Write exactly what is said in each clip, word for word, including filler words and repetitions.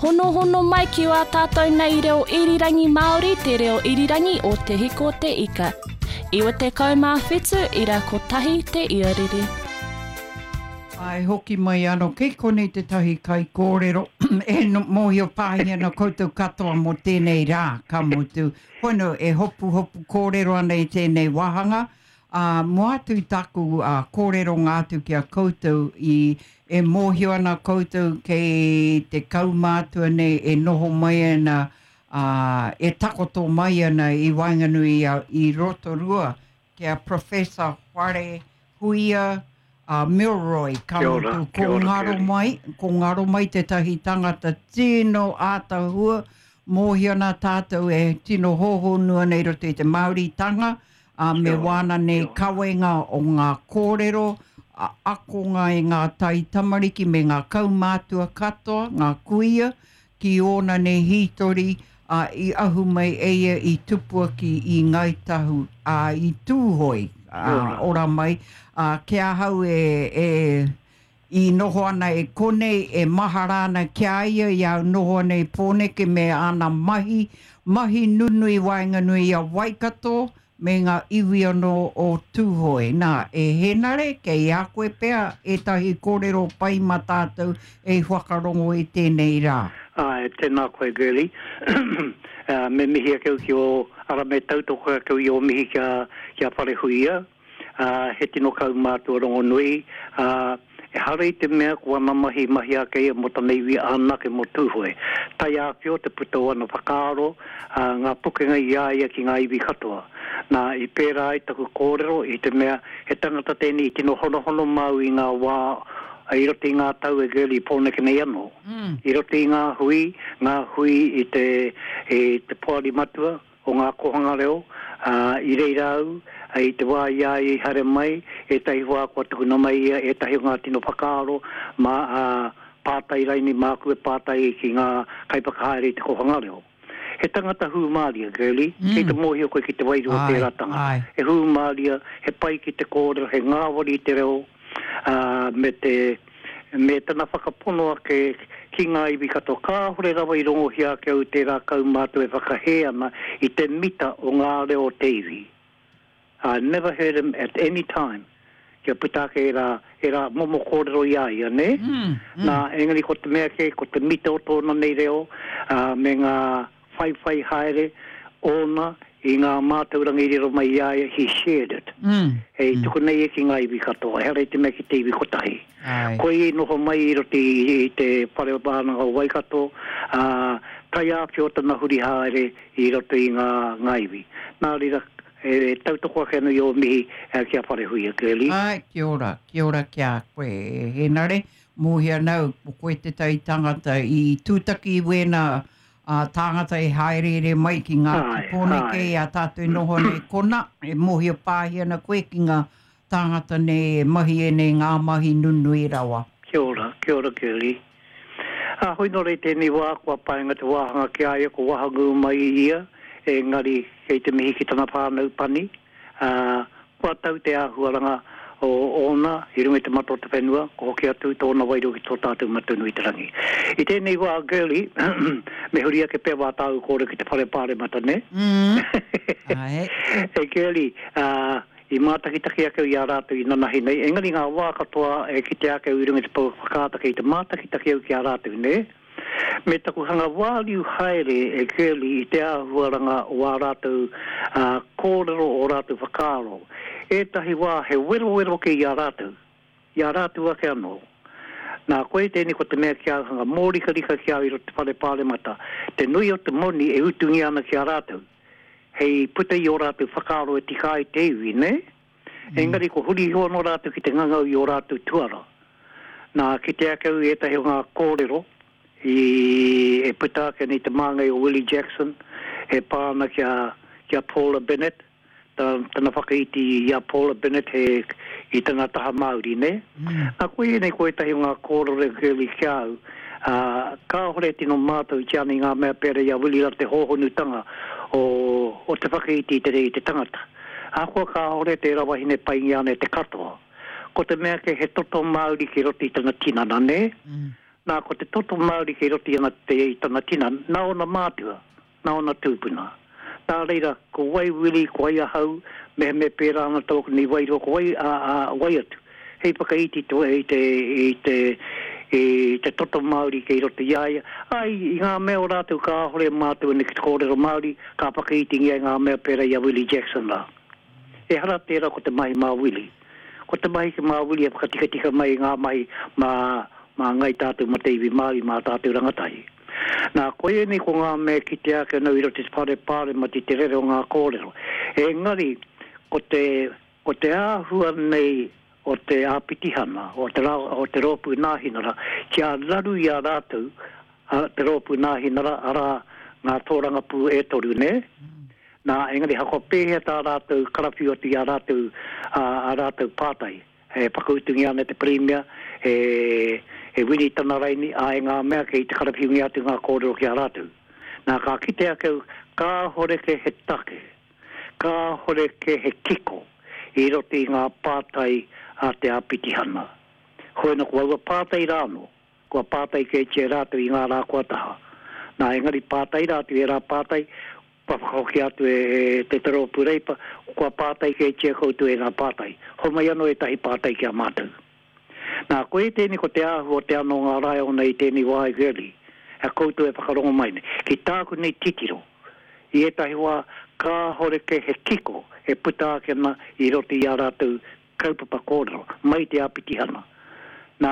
Honohono mai ki wā tātou nei reo irirangi Māori, te reo irirangi o Te Hiko Te Ika. Iwa te kaumā whitu, ira kotahi te iarere. Ai hoki mai anō, kei konei tētahi kaikōrero e no, mōhio pāhi ana koutou katoa mō tēnei rā, ka mutu. Hono e hopu hopu kōrero ana i tēnei wāhanga, ā, mō atu i taku uh, kōrero ngā atu ki a koutou i e mōhio ana koutou kei te kaumātua nei e noho mai ana, uh, e takoto mai ana i waenganui i, i Rotorua ki a Professor Wharehuia uh, Milroy. Ka mutu, ko ngaro mai, ko ngaro mai tētahi tangata tino ātahua, mōhio ana tātou e tino hōhonu ana i roto i te Māoritanga, uh, me wāna nei kawenga o ngā kōrero, a, akonga i ngā tai tamariki me ngā kaumātua katoa, ngā kuia, ki ōna nei hītori, uh, i ahu mai e ia i tupua ki i Ngāi Tahu, uh, i Tūhoe, uh, ora mai, uh, ki ahau e, e i noho ana e konei, e mahara ana ki a ia, i au noho ana i Pōneke me āna mahi, mahi nunui waenganui i a Waikato, me ngā iwi anō o Tūhoe. Nā, e Henare, kei a koe pea ētahi kōrero pai mā tātou e whakarongo i tēnei rā. Ai, tēnā koe, Girlie. uh, me mihi ake au ki o, ara me tautoko ake au i o mihi kia, kia Wharehuia. Uh, he tino kaumātua rongonui. Uh, e hara i te mea ko ana mahi mahi ake ia mō tana iwi anake mō Tūhoe. Taiāwhio te puta o ana whakaaro, uh, ngā pukenga i a ia ki ngā iwi katoa. Nā, i pērā ai taku kōrero i te mea he tangata tēnei i tino honohono mau i ngā wā, i roto i ngā tau e Girlie Pōneke nei anō. Mm. I roto i ngā hui, ngā hui i te, i te poari matua o ngā kōhanga reo, uh, i reira au, i te wā i a ia i haere mai, ētahi wā kua tukuna mai ia, ētahi o ngā tino whakaaro, mā, uh, pātai raini māku e pātai ki ngā kaiwhakahaere i te kōhanga reo. He tangata hūmāria, Girlie, Mm. kei te mōhio koe ki te wairua Ai, tērā tangata. ai. He hūmāria, he pai ki te kōrero, he ngāwari i te reo, uh, me te me tana whakapono ake ki ngā iwi katoa. Kāhore rawa i rongohia ake au tērā kaumātua e whakahē ana i te mita o ngā reo o te iwi. I never heard him at any time kia puta ake e rā, e rā momo kōrero i a ia, nē? Mm, mm. Nā, engari ko te mea kē, ko te mita o tōna nei reo, uh, me ngā whaiwhai haere ōna i ngā mātauranga i riro mai i a ia, he shared it. Mm. Hei tuku nei e ki ngā iwi katoa, ehara i te mea ki te iwi kotahi. Ai. Koe i noho mai i roto i, i te whare wānanga o Waikato, uh, taiāwhio tana huri haere i roto i ngā, ngā iwi. Nā reira, e tautoko ake anō i ō mihi eh, ki a Wharehuia, Girlie. Ai, kia ora, kia ora ki a koe, Henare. Mōhio nau, ko koe te tai tangata i tūtaki i wēnā uh, tāngata e haereere mai ki ngā Ai, Pōneke ai. i a tātou noho nei kona, e mōhio pāhi ana koe ki ngā tāngata nei e mahi e nei ngā mahi nunui rawa. Kia ora, kia ora, Girlie. A hoi nō rei tēnei wā, kua paenga te wāhanga ki a ia, ko wahangū mai i ia, engari kei te mihi ki tana whānau pani, uh, kua tau te āhuaranga o ōna i runga i te mata o te whenua, ko hoki atu tōna wairua ki tō tātou Matua nui te rangi. I tēnei wā, Girlie, me huri ake pea wā tāu kōrero ki te whare pāremata, ne? Mm. Ai. E Girlie, uh, i mātakitaki ake i a rātou i nanahi nei, engari ngā wā katoa e kite ake au i runga i te pouaka whakaata kei te mātakitaki au ki a rātou, ne? Me taku hanga wāriu haere e Girlie i te āhuaranga o ā rātou uh, kōrero o rātou whakaaro. Ētahi wā he werowero ke i a rātou, i a rātou ake anō. Nā, koe tēnei ko te mea ki a hanga mōrikarika ki a i roto te whare pāremata, te nui o te moni e utungia ana ki a rātou. Hei puta i o rātou whakaaro e tika ai te iwi, ne? Mm. Engari ko huri iho anō rātou ki te ngangau i o rātou tuara. Nā, ki te ake au i ētahi o ngā kōrero i e puta ake nei te māngai o Willie Jackson e pā ana ki a, ki a Paula Bennett, ta, tana whakaiti i a Paula Bennett he, i tana taha Māori, ne? Mm. Nā, koe nei ko ētahi o ngā kōrero e Girlie ki a au, uh, kāhore tino mātau i ana i ngā mea pērā i a Willie rā te hōhonutanga o, o te whakaiti i te rei te tangata. Ahakoa kāhore tērā wahine paingia ana e te katoa. Ko te mea ke he toto Māori ki roto i tana tinana, ne? Mm. Nā, ko te toto Māori kei roto i ana te i tana tina, nā ona mātua, nā ona tūpuna. Nā reira, ko wai Wili, ko wai ahau, me me pērā ana tōku nei wairua, ko wai, a, a, wai atu. Hei whakaiti te, i te, i te, i te toto Māori kei roto i a ia. Ai, i ngā mea o rātou kāhore mātou nei ki te kōrero Māori, ka whakaitingia i ngā mea pērā i a Willie Jackson rā. Ehara tērā ko te mahi mā Willie. Ko te mahi ki mā Willie e whakatikatika mai i ngā mahi mā, mā ngai tātou mā te iwi Māori, mā tātou rangatahi. Nā, koe nei ko ngā mea ki te ake nau i roto i te whare pāremata i te rere o ngā kōrero. Engari, ko te, ko te āhua nei o te āpitihana, o te, ra, o te rōpū nāhinara, kia raru i a rātou, a, te rōpū nāhinara, arā ngā tōrangapū e toru, ne? Mm. Nā, engari hako pēhea tā rātou karawhiu atu i a rātou, a, a rātou pātai. E whakautungia ana te Pirimia, e, e Winitana raini, a e ngā mea kei te karawhiungia atu ngā kōrero ki a rātou. Nā, ka kite ake au, kāhore ke he take, kāhore ke he kiko i roto i ngā pātai a te āpitihana. Hoena ko aua pātai rāno, kua pātai kei te rātou i ngā rā kua taha. Nā, engari pātai rātou, e rā pātai, kua whakahoki atu e, e te te rōpū Reipa, kua pātai kei te koutou e ngā pātai. Homai anō ētahi pātai ki a mātou. Nā, koe tēnei ko te āhua o te anō ngā raiona i tēnei wā i Gurley, a koutou e whakarongo mai nei. Ki tāku nei titiro, i ētahi wā kāhore ke he kiko e puta ake ana i roto i a rātou kaupapa kōrero, mai te āpitihana. Nā,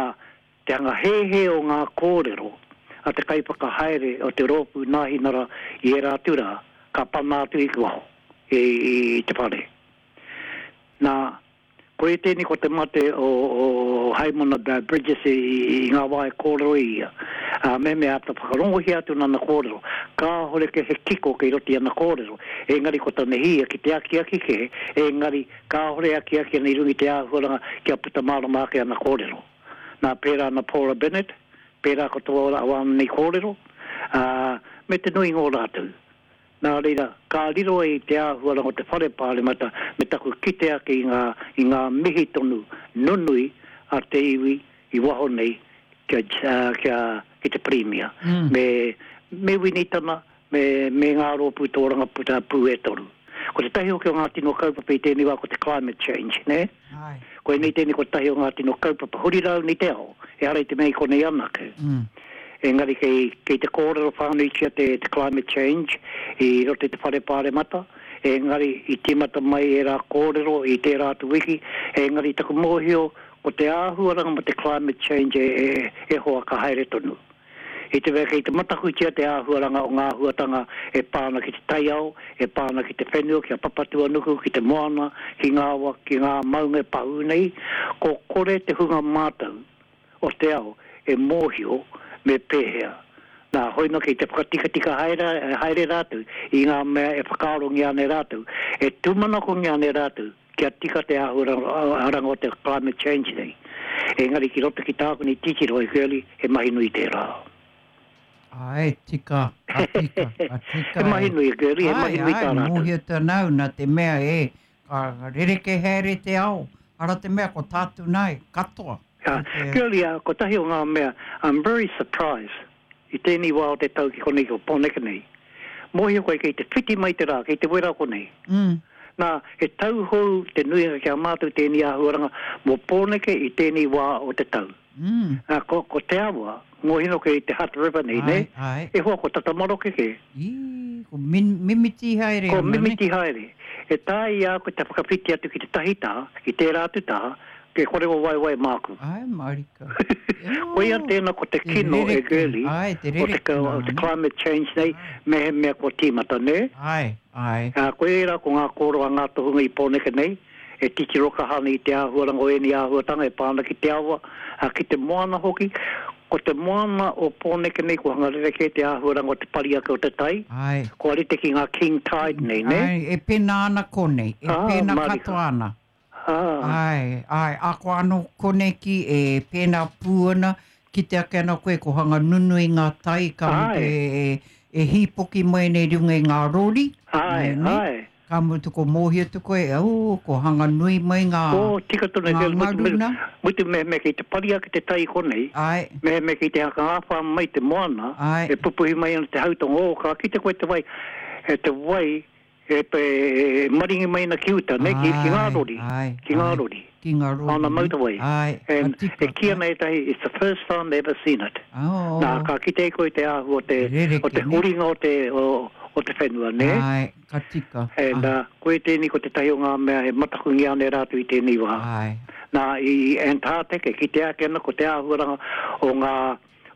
te hanga hēhē o ngā kōrero a te kaiwhakahaere o te rōpū nāhinara i ērā atu rā, ka pana atu i ki waho, i, i, i te whare. Nā, koe tēnei ko te mate o, o Haimona Bridges i, i ngā wā e kōrero i ia. A, me me ata whakarongohia atu nana kōrero. Kāhore ke he kiko kei roto i ana kōrero. Engari ko tana hia ki te akiaki ke, engari kāhore akiaki ana i runga i te āhuaranga kia puta mārama ake ana kōrero. Nā, pērā ana Paula Bennett, pērā ko tō wāna nei kōrero, a, me te nui ngō rātou. Nā reira, ka riro ai te āhuaranga o te whare pāremata me taku kite ake i ngā, i ngā mihi tonu nunui a te iwi i waho nei kia, kia, ki te Pirimia. Mm. Me, me Winitana, me, me ngā rōpū tōrangapū pū e toru. Ko te tahi hoki o ngā tino kaupapa i tēnei wā ko te climate change, ne? Ai. Koe nei tēnei ko tahi o ngā tino kaupapa huri rau ni te ao, ehara i te mea i konei anake. Mm. Engari kei, kei te kōrero whānuitia te, te climate change i roto i te whare pāremata, engari i tīmata mai e rā kōrero i tērā atu wiki, engari taku mōhio ko te āhuaranga mo te climate change e, e, e hoa ka haere tonu. I te mea kei te matakutia te āhuaranga o ngā āhuatanga e pāna ki te taiao, e pāna ki te whenua, ki a Papatūānuku, ki te moana, ki ngā awa, ki ngā maunga e pahū nei, ko kore te hunga mātau o te ao e mōhio me pēhea. Nā, hoino kei te whakatikatika haere, haere rātou i ngā mea e whakaarongia ana e rātou, e tūmanakongia ana e rātou kia tika te āhuaranga o te climate change nei. Engari ki roto ki tāku nei titiro e Gurley, he mahi nui tērā. Ai, tika, a tika, a tika. He mahi nui, Gurley, he mahi nui tā Ai, rātou. mōhio tānau nā te mea e, ka rereke haere te ao, ara te mea ko tātou nai, katoa. Uh, Te- Gurley, uh, ko tahi o ngā mea, I'm very surprised i tēnei wā o te tau ki konei ko Pōneke nei. Mōhio koe kei te whiti mai te rā, kei te wera konei. Mm. Nā, he tauhou te nuinga ki a mātou tēnei āhuaranga mō Pōneke i tēnei wā o te tau. Mm. Nā, ko, ko te awa, mōhino kei te Hutt River nei, ne? Ai, ai. E hoa ko Tatamaroke ke, I, ko min, mimiti haere ko ana, ne? mimiti haere. E tae i a koe te whakawhiti atu ki te tahi tā, ki tērā atu tā, ke kore o waiwai māku. Ai, marika. Koia tēnā ko te Te kino e rereke. Gurley, Ai, te o te, rereke o te nā, ne? climate change nei, me he mea kua tīmata, ne? Ai, ai. Uh, koe rā ko ngā kōrero a ngā tohunga i Pōneke nei, e titiro kaha ana i te āhuaranga o ēnei āhuatanga e pāna ki te awa, a, ki te moana hoki. Ko te moana o Pōneke nei, ko hanga rerekē te āhuaranga o te pari ake o te tai, Ai. kua rite ki ngā king tide nei, ne? Ai, e pēnā ana konei, e Ah, pēnā marika. katoa ana. Ah, Ai, ai, a ko anō koneki e pēnā pū ana, ki te ake ana koe ko hanga nunui ngā tai ka Ai. mutu e, e, e hīpoki mai nei runga i ngā rori. ai, Nei, nei. ai. Ka mutu ko mōhio tu koe, oh, ko hanga nui mai ngā, Oh, tika tonu ngā te mutu me, ngaruna. mutu me me ki te pari ake te tai konei, Ai, me me ki te haka ngāwhā mai te moana, Ai. e pupuhi mai ana te hautonga, oh, ka kite koe te wai, e te wai, e, pe, e maringi mai ana ki uta, ne, ki, ki ngā Ai, rori, ai, ki ngā ai. rori. Ki ngā rori. On the motorway. Ai, ka And tika. e kī ana ētahi, it's the first time they've ever seen it. Oh. Nā, ka kite koe te āhua o te, Rereke, o te ne? huringa o te, o, o te whenua, ne? Ai, ka tika. And uh, koe tēnei ko te tahi o ngā mea e matakungia ana e rātou i tēnei wā. Ai, Nā, i Antarctic, e kite ake ana ko te āhuaranga o ngā,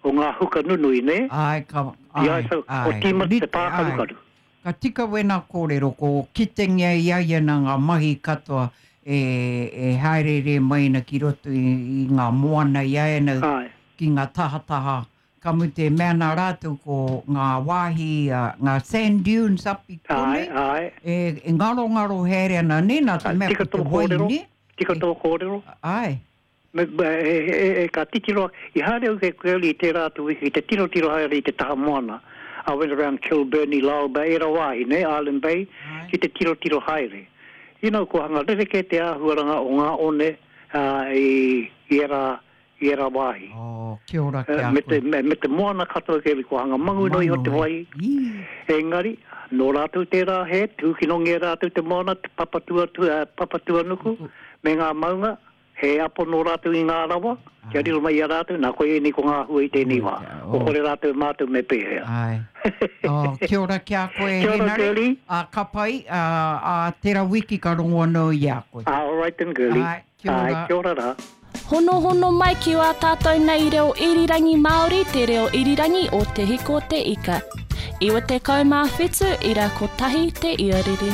o ngā huka nunui, ne? ai, ka, I ai, ai, so, ai. o tīmata te Rite, ai. pākarukaru. Ka tika wena kōrero, ko kitengia i ai ana ngā mahi katoa e, e haerere mai ana ki roto i, i ngā moana i ai ana Ai, ki ngā tahataha. Ka mutu e mea nā rātou ko ngā wāhi, uh, ngā sand dunes up i ai, konei. ai. E, e ngaro ngaro haere ana ne, nā te Ai, mea tika ko te tō kōrero. wai ne. Tika tō kōrero. Ai, Me, me, e, e, e, ka titiro, i haere au ke koe i tērā atu wiki, te tiro tiro haere i te taha moana. I went around Kilburnie, Lyall Bay, era wāhi, ne, Island Bay, Ai. ki te tiro tiro haere. You know, ko hanga rereke te āhuaranga o ngā one uh, i, i era, i era wāhi. oh, kia ora ki Uh, a me, te, koe. me, me te moana katoa ke ko hanga mangu noi o te Mangu, wai. Ī, Engari, nō rātou tērā he, tūkinongia rātou te moana, te papatua, tua, papatuanuku, me ngā maunga, he apo nō rātou i ngā rawa, kia riro mai i a rātou, nā koe ēnei ko ngā hua i tēnei wā. Oh. Ko kore rātou mātou me pēhea. Ai. Oh, kia ora ki a koe, Kia ora, Henare. Girlie. A, ka pai, a, a tera wiki ka rongo anō i a koe. Ah, all right then, girlie. Ai, kia ora. Ai, kia ora rā. Honohono mai ki wā tātou nei reo irirangi Māori, te reo irirangi o Te Hiko Te Ika. Iwa te kau mā whitu, ira kotahi te iarere.